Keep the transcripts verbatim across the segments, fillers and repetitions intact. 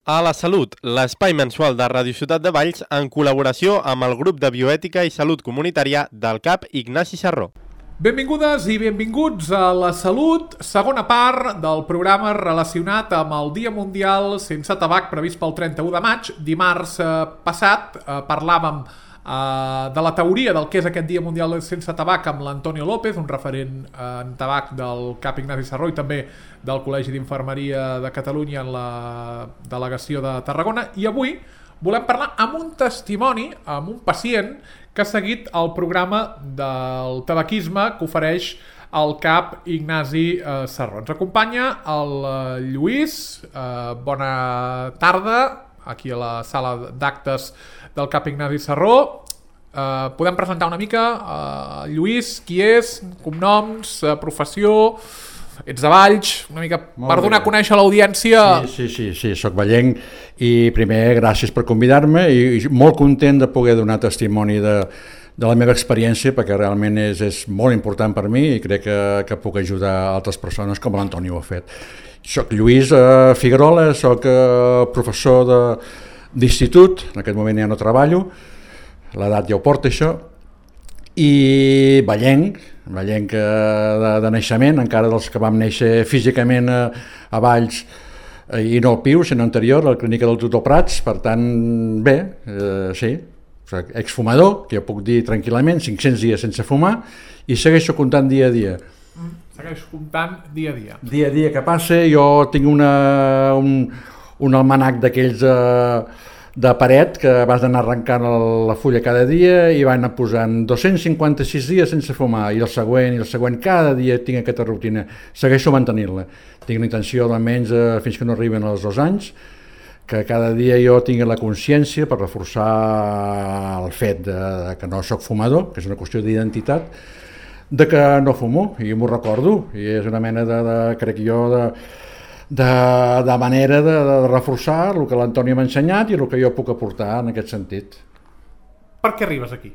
A la Salut, l'espai mensual de Ràdio Ciutat de Valls en col·laboració amb el grup de bioètica i salut comunitària del C A P Ignasi Sarró. Benvingudes i benvinguts a La Salut, segona part del programa relacionat amb el Dia Mundial Sense Tabac previst pel trenta-u de maig. Dimarts eh, passat eh, parlàvem eh, de la teoria del que és aquest Dia Mundial Sense Tabac amb l'Antonio López, un referent eh, en tabac del C A P Ignasi Sarró i també del Col·legi d'Infermeria de Catalunya en la delegació de Tarragona. I avui volem parlar amb un testimoni, amb un pacient que ha seguit el programa del tabaquisme que ofereix el C A P Ignasi eh, Sarró. Ens acompanya el eh, Lluís. Eh, bona tarda, aquí a la sala d'actes del C A P Ignasi Sarró. Eh, podem presentar una mica eh, Lluís, qui és, cognoms, eh, professió. Ets de Valls, una mica Molt per donar bé. A conèixer l'audiència. Sí, sí, sí, sí, soc vallenc i primer gràcies per convidar-me i, i molt content de poder donar testimoni de, de la meva experiència perquè realment és, és molt important per mi i crec que, que puc ajudar altres persones com l'Antoni ho ha fet. Soc Lluís eh, Figuerola, soc eh, professor de, d'institut, en aquest moment ja no treballo, l'edat ja ho porta això, i vallenc, vallenc de, de naixement, encara dels que vam néixer físicament a, a Valls eh, i no al Piu, sinó anterior, a la clínica del Doctor Prats, per tant, bé, eh, sí, exfumador, que jo puc dir tranquil·lament, cinc-cents dies sense fumar, i segueixo comptant dia a dia. Mm, segueixo comptant dia a dia. Dia a dia que passa, jo tinc una, un, un almanac d'aquells eh, de paret que vas anar arrencant la fulla cada dia i va anar posant dos-cents cinquanta-sis dies sense fumar i el següent i el següent, cada dia tinc aquesta rutina, segueixo mantenint-la, tinc la intenció almenys eh, fins que no arriben els dos anys que cada dia jo tingui la consciència per reforçar el fet de, de que no sóc fumador, que és una qüestió d'identitat, de que no fumo i m'ho recordo i és una mena de, de crec jo de De, de manera de, de reforçar el que l'Antoni m'ha ensenyat i el que jo puc aportar en aquest sentit. Per què arribes aquí?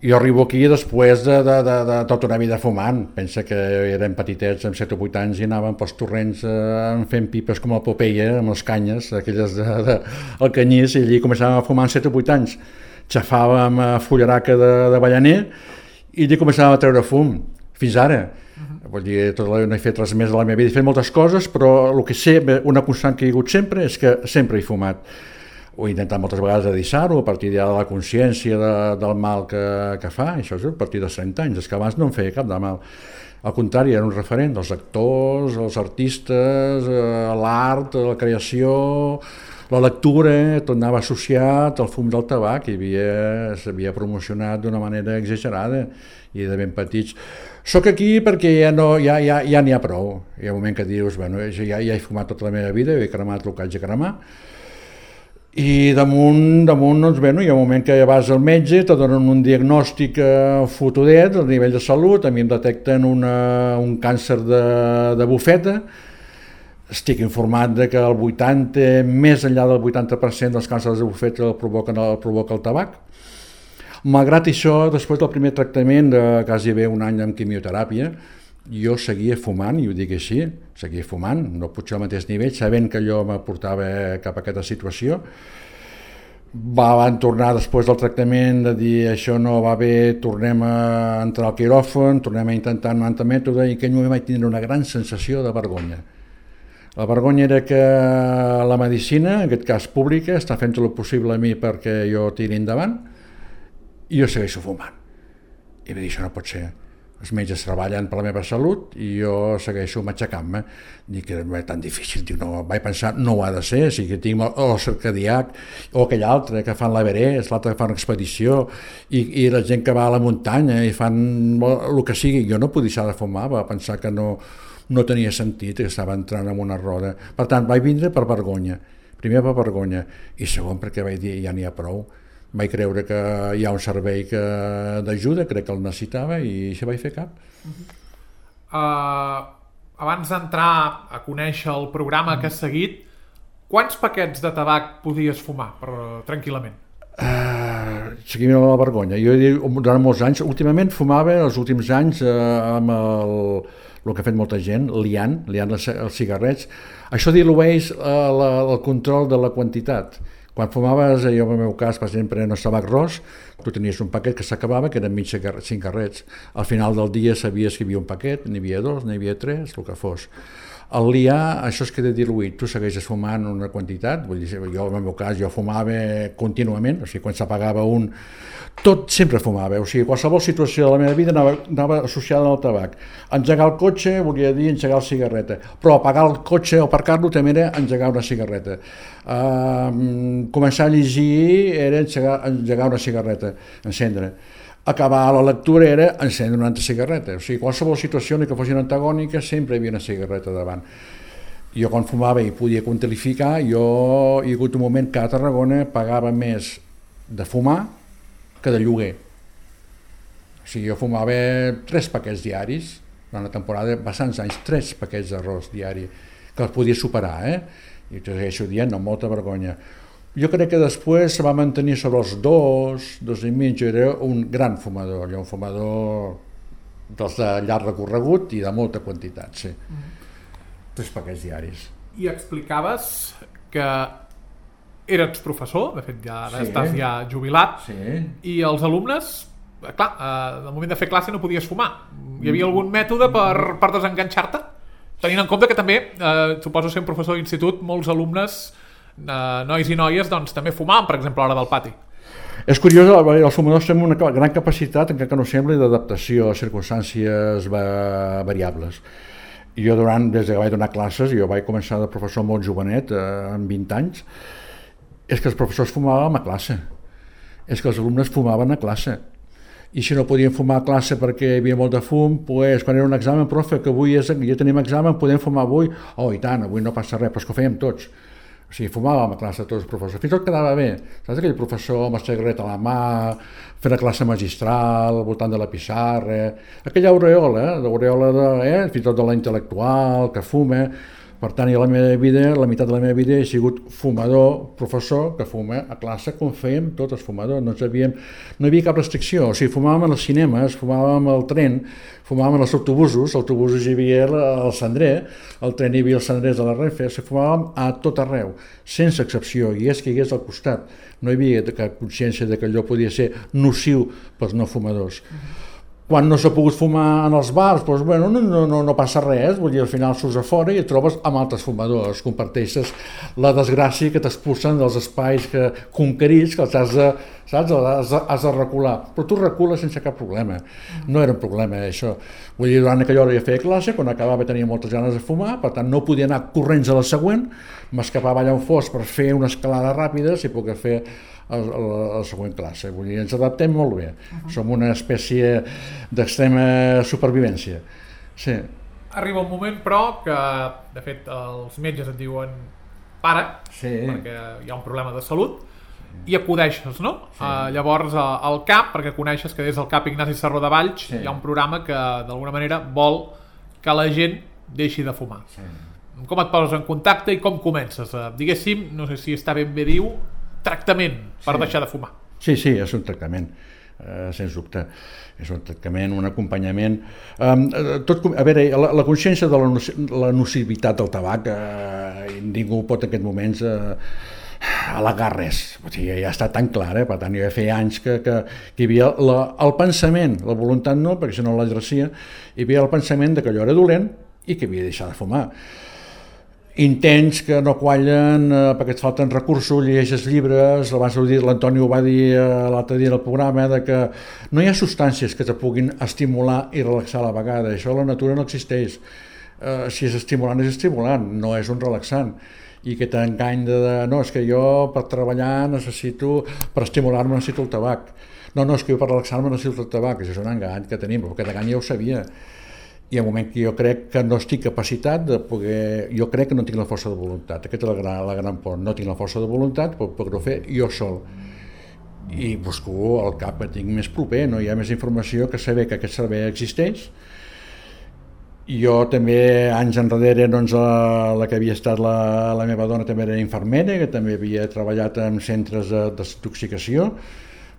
Jo arribo aquí després de, de, de, de tota una vida fumant. Pensa que érem petitets amb set o vuit anys i anàvem pels torrents eh, fent pipes com el Popeye, amb les canyes, aquelles de, de, el canyís, i allí començàvem a fumar amb set o vuit anys. Xafàvem a fullaraca de, de ballaner i allí començàvem a treure fum, fins ara. Vull dir, tot la, no he fet res més de la meva vida, he fet moltes coses, però el que sé, una constant que hi ha hagut sempre és que sempre he fumat. Ho he intentat moltes vegades de deixar-ho, a partir ja de la consciència de, del mal que, que fa, això és a partir dels trenta anys, és que abans no em feia cap de mal. Al contrari, era un referent dels actors, els artistes, eh, l'art, la creació, la lectura, tot anava associat al fum del tabac i s'havia promocionat d'una manera exagerada i de ben petits. Soc aquí perquè ja no, ja, ja, ja n'hi ha prou. Hi ha un moment que dius, bueno, ja, ja he fumat tota la meva vida, he cremat el que haig de cremar, i damunt, damunt doncs, bueno, hi ha un moment que vas al metge, te donen un diagnòstic eh, fotudet a nivell de salut, a mi em detecten una, un càncer de, de bufeta, estic informat de que el vuitanta, més enllà del vuitanta per cent dels càncers de bufeta el provoquen, el provoca el tabac. Malgrat això, després del primer tractament de quasi bé un any amb quimioteràpia, jo seguia fumant, i ho dic així, seguia fumant, no potser al mateix nivell, sabent que allò me portava cap a aquesta situació. Van tornar després del tractament de dir això no va bé, tornem a entrar al quiròfan, tornem a intentar un altre mètode, i en aquell moment vaig tindre una gran sensació de vergonya. La vergonya era que la medicina, en aquest cas pública, està fent tot el possible a mi perquè jo tiri endavant, i jo segueixo fumant. I va dir, això no pot ser. Els metges treballen per la meva salut i jo segueixo matxacant-me. Dic que no és tan difícil. Dic, no, vaig pensar, no ho ha de ser. O sigui, tinc el circadiac o aquell altre que fan l'Everest, l'altre que fan expedició, i, i la gent que va a la muntanya i fan el que sigui. Jo no podia deixar de fumar, va pensar que no, no tenia sentit, que estava entrant en una roda. Per tant, vaig vindre per vergonya. Primer per vergonya i segon perquè vaig dir, ja n'hi ha prou. Vaig creure que hi ha un servei que, d'ajuda, crec que el necessitava i això vaig fer cap. Uh-huh. Uh, abans d'entrar a conèixer el programa que has seguit, quants paquets de tabac podies fumar per, tranquil·lament? Uh, seguim la vergonya. Jo durant molts anys, últimament fumava els últims anys eh, amb el, el que ha fet molta gent, liant, liant els, els cigarrets. Això dilueix eh, la, el control de la quantitat. Quan fumaves, jo en el meu cas, per exemple, en el tabac ros, tu tenies un paquet que s'acabava, que eren mig cigarrets. Al final del dia sabies que hi havia un paquet, n'hi havia dos, n'hi havia tres, el que fos. Al liar, això es queda diluït, tu segueixes fumant una quantitat, vull dir, jo en el meu cas jo fumava contínuament, o sigui, quan s'apagava un, tot sempre fumava, o sigui, qualsevol situació de la meva vida anava, anava associada al tabac. Engegar el cotxe volia dir engegar la cigarreta, però apagar el cotxe o aparcar-lo també era engegar una cigarreta. Uh, començar a llegir era engegar, engegar una cigarreta, encendre. Acabar la lectura era encendre una altra cigarreta. O sigui, qualsevol situació que fossin antagòniques sempre hi havia una cigarreta davant. Jo quan fumava i podia quantificar, jo hi ha hagut un moment que a Tarragona pagava més de fumar que de lloguer. O sigui, jo fumava tres paquets diaris, durant la temporada, bastants anys, tres paquets d'arròs diari, que els podia superar, eh? I t'ho segueixo dient, amb molta vergonya. Jo crec que després se va mantenir sobre els dos, dos i mig, jo era un gran fumador, jo un fumador dels de llarg recorregut i de molta quantitat, sí. Mm. Tres paquets diaris. I explicaves que eres professor, de fet ja sí. Estàs ja jubilat, sí. I els alumnes, clar, al moment de fer classe no podies fumar. Hi havia algun mètode per, per desenganxar-te? Tenint en compte que també, eh, suposo ser un professor d'institut, molts alumnes Uh, nois i noies doncs, també fumaven, per exemple, a l'hora del pati. És curiós, els fumadors tenen una gran capacitat, encara que no sembli, d'adaptació a circumstàncies va- variables. I jo, durant, des que vaig donar classes, jo vaig començar de professor molt jovenet, eh, amb vint anys, és que els professors fumaven a classe, és que els alumnes fumaven a classe. I si no podien fumar a classe perquè hi havia molt de fum, pues, quan era un examen, profe, que avui és, ja tenim examen, podem fumar avui? Oh, i tant, avui no passa res, però és que ho fèiem tots. O sigui, fumàvem a classe tots els professors, fins i tot quedava bé. Saps aquell professor amb el cigarret a la mà, fent la classe magistral, al voltant de la pissarra, aquella aureola, eh? l'aureola de, eh? fins i tot de la intel·lectual, que fuma. Per tant, la meva vida, la meitat de la meva vida he sigut fumador, professor, que fuma a classe com fèiem tots els fumadors. No, havíem, no hi havia cap restricció. O sigui, fumàvem als cinemes, fumàvem al tren, fumàvem als autobusos, als autobusos hi havia el cendrer, al tren hi havia els cendrers de la Renfe, o sigui, fumàvem a tot arreu, sense excepció, i és que hi hagués al costat. No hi havia cap consciència de que allò podia ser nociu pels no fumadors. Quan no s'ha pogut fumar en els bars, doncs, bueno, no, no, no passa res, vull dir, al final surts a fora i et trobes amb altres fumadors, comparteixes la desgràcia que t'expulsen dels espais que, conquerits que els has de, saps, has de, has de recular, però tu recules sense cap problema, no era un problema això. Vull dir, durant aquella hora ja feia classe, quan acabava tenia moltes ganes de fumar, per tant no podia anar corrents a la següent, m'escapava allà on fos per fer una escalada ràpida si puc fer a la següent classe. Vull dir, ens adaptem molt bé. Uh-huh. Som una espècie d'extrema supervivència. Sí. Arriba un moment, però, que de fet els metges et diuen para, sí. perquè hi ha un problema de salut, i acudeixes, no? Sí. Uh, llavors al C A P, perquè coneixes que des del C A P Ignasi Sarró de Valls sí. hi ha un programa que d'alguna manera vol que la gent deixi de fumar. Sí. Com et poses en contacte i com comences? Uh, diguéssim, no sé si està ben bé diu, tractament per sí. deixar de fumar. Sí, sí, és un tractament, eh, sens dubte. És un tractament, un acompanyament. Um, tot, a veure, la, la consciència de la, la nocivitat del tabac, eh, ningú pot en aquests moments eh, al·legar res. O sigui, ja està tan clar, eh? Per tant, jo ja feia anys que, que, que hi havia la, el pensament, la voluntat no, perquè si no l'exercia, hi havia el pensament de que allò era dolent i que havia de deixar de fumar. Intents que no quallen eh, perquè et falten recursos, llegeixes llibres, abans l'Antoni ho va dir eh, l'altre dia en el programa, de que no hi ha substàncies que te puguin estimular i relaxar a la vegada, això a la natura no existeix. Eh, si és estimulant, és estimulant, no és un relaxant. I que t'engany de, de, no, és que jo per treballar necessito, per estimular-me necessito el tabac. No, no, és que jo per relaxar-me necessito el tabac, això és un engany que tenim, però aquest engany ja ho sabia. Hi ha un moment que jo crec que no estic capacitat de poder... Jo crec que no tinc la força de voluntat. Aquesta és la gran, la gran por. No tinc la força de voluntat per poder-ho fer jo sol. I busco el cap que tinc més proper. No hi ha més informació que saber que aquest servei existeix. Jo també, anys enrere, doncs, la, la que havia estat la, la meva dona també era infermera, que també havia treballat en centres de desintoxicació.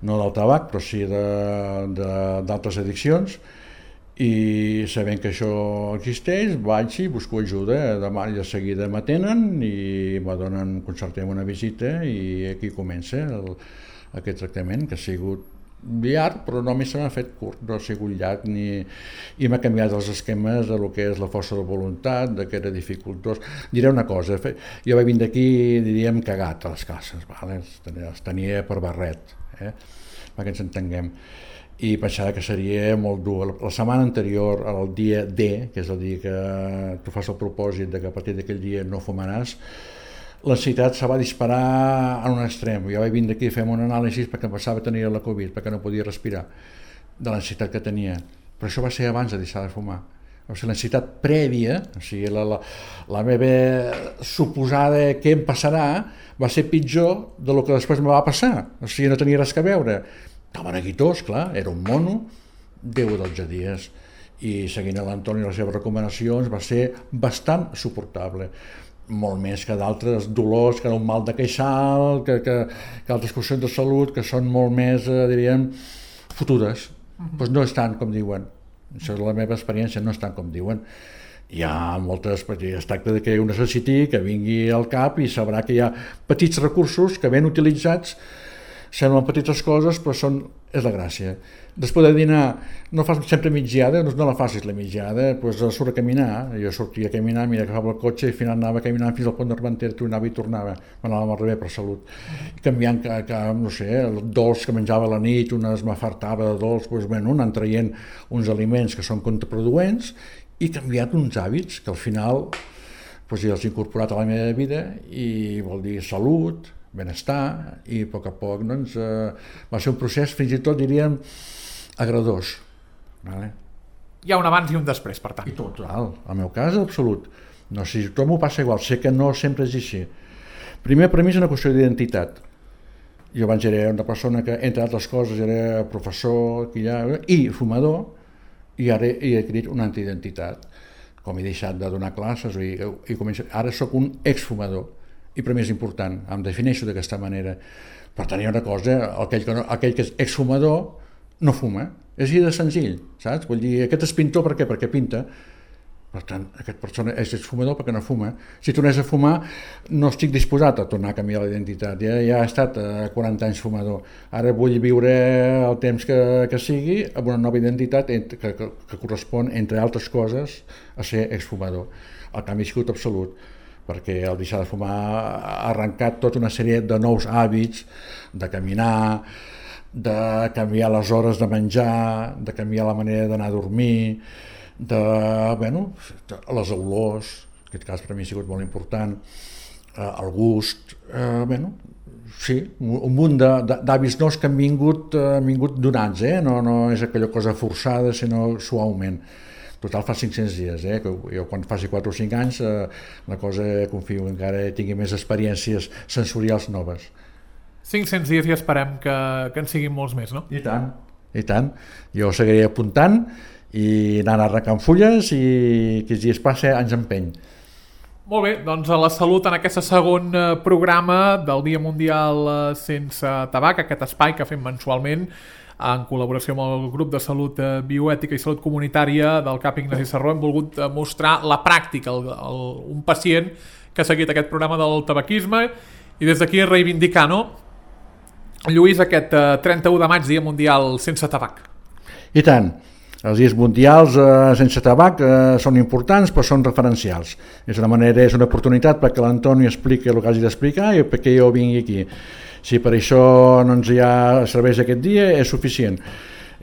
no del tabac, però sí d'altres addiccions, i sabent que això existeix, vaig i busco ajuda. Demà de seguida m'atenen i me donen, concertem una visita i aquí comença el, aquest tractament, que ha sigut llarg, però només se m'ha fet curt, no ha sigut llarg ni... i m'ha canviat els esquemes de lo que és la força de voluntat, de que era dificultós. Diré una cosa, jo vaig vindre aquí, diríem, cagat a les classes, vale? Els tenia per barret, eh? Perquè ens entenguem, i pensava que seria molt dur. La setmana anterior, el dia D, que és el dia que tu fas el propòsit de que a partir d'aquell dia no fumaràs, l'ansietat se va disparar en un extrem. Jo vaig vindre aquí a fer un anàlisi perquè em passava tenir la Covid, perquè no podia respirar, de l'ansietat que tenia. Però això va ser abans de deixar de fumar. O sigui, l'ansietat prèvia, o sigui, la, la, la meva suposada què em passarà, va ser pitjor del que després me va passar. O sigui, no tenia res a veure. Estava neguitós, clar, era un mono, deu o dotze dies. I seguint l'Antoni i les seves recomanacions va ser bastant suportable. Molt més que d'altres dolors, que un mal de queixal, que, que, que altres qüestions de salut, que són molt més, eh, diríem, fotudes. Uh-huh. Pues no és tant com diuen. Això és la meva experiència, no és tant com diuen. Hi ha moltes, es tracta de que ho necessiti, que vingui al cap i sabrà que hi ha petits recursos que ben utilitzats, semblen petites coses, però són, és la gràcia. Després de dinar, no fas sempre migdiada, no la facis la migdiada, doncs surt a caminar. Jo sortia a caminar, mira, agafava el cotxe i al final anava caminant fins al pont d'Armentera, tornava i tornava, m'anava al revés per salut. Canviant, que, que, no sé, el dolç que menjava a la nit, unes m'afartava de dolç, doncs, bueno, anant traient uns aliments que són contraproduents i canviat uns hàbits que al final doncs, ja els he incorporat a la meva vida i vol dir salut, benestar, i a poc a poc doncs, eh, va ser un procés fins i tot diríem agradós, vale? Hi ha un abans i un després, per tant. I total, al meu cas absolut. No sé, tot m'ho passa igual, sé que no sempre és així. Primer, per mi és una qüestió d'identitat. Jo abans era una persona que, entre altres coses, era professor i fumador, i ara he adquirit una antiidentitat. Com he deixat de donar classes, i, i començo, ara sóc un exfumador. I per mi és important, em defineixo d'aquesta manera. Per tant, hi ha una cosa, aquell que, no, aquell que és exfumador no fuma, és així de senzill, saps? Vull dir, aquest és pintor per què? Perquè pinta. Per tant, aquesta persona és exfumador perquè no fuma. Si tornés a fumar, no estic disposat a tornar a canviar la identitat. Ja, ja he estat quaranta anys fumador. Ara vull viure el temps que, que sigui amb una nova identitat que, que, que correspon, entre altres coses, a ser exfumador. El canvi ha sigut absolut, perquè el deixar de fumar ha arrencat tota una sèrie de nous hàbits, de caminar, de canviar les hores de menjar, de canviar la manera d'anar a dormir, de, bueno, les olors, en aquest cas per mi ha sigut molt important, eh, el gust, eh, bueno, sí, un munt d'hàbits nous que han vingut, eh, han vingut donats, eh? no, no és aquella cosa forçada, sinó suaument. Total fa cinc-cents dies, eh? Jo quan faci quatre o cinc anys eh, la cosa confio que encara tingui més experiències sensorials noves. cinc-cents dies i esperem que, que en siguin molts més, no? I tant, i tant. Jo seguiré apuntant i anant arrencant fulles i que si es passa ens empeny. Molt bé, doncs a la salut en aquest segon programa del Dia Mundial Sense Tabac, aquest espai que fem mensualment en col·laboració amb el grup de salut bioètica i salut comunitària del CAP Ignasi Sarró. Hem volgut mostrar la pràctica, el, el, un pacient que ha seguit aquest programa del tabaquisme i des d'aquí reivindicar, no? Lluís, aquest trenta-u de maig, Dia Mundial Sense Tabac. I tant. Els dies mundials eh, sense tabac eh, són importants però són referencials. És una manera, és una oportunitat perquè l'Antoni expliqui el que hagi d'explicar i perquè jo vingui aquí. Si per això no ens hi ha serveix aquest dia és suficient.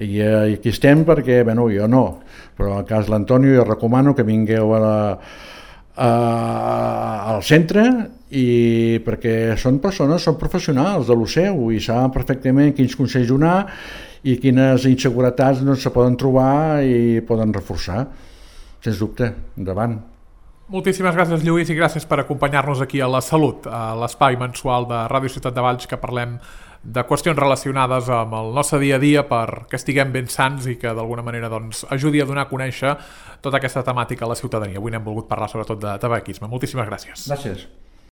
I eh, aquí estem perquè, bueno, jo no, però en el cas de l'Antoni jo recomano que vingueu a la, a, al centre i perquè són persones, són professionals de lo seu i saben perfectament quins consells donar i quines inseguretats no se poden trobar i poden reforçar. Sens dubte, endavant. Moltíssimes gràcies, Lluís, i gràcies per acompanyar-nos aquí a La Salut, a l'espai mensual de Ràdio Ciutat de Valls, que parlem de qüestions relacionades amb el nostre dia a dia perquè estiguem ben sants i que d'alguna manera doncs, ajudi a donar a conèixer tota aquesta temàtica a la ciutadania. Avui n'hem volgut parlar sobretot de tabaquisme. Moltíssimes gràcies. Gràcies.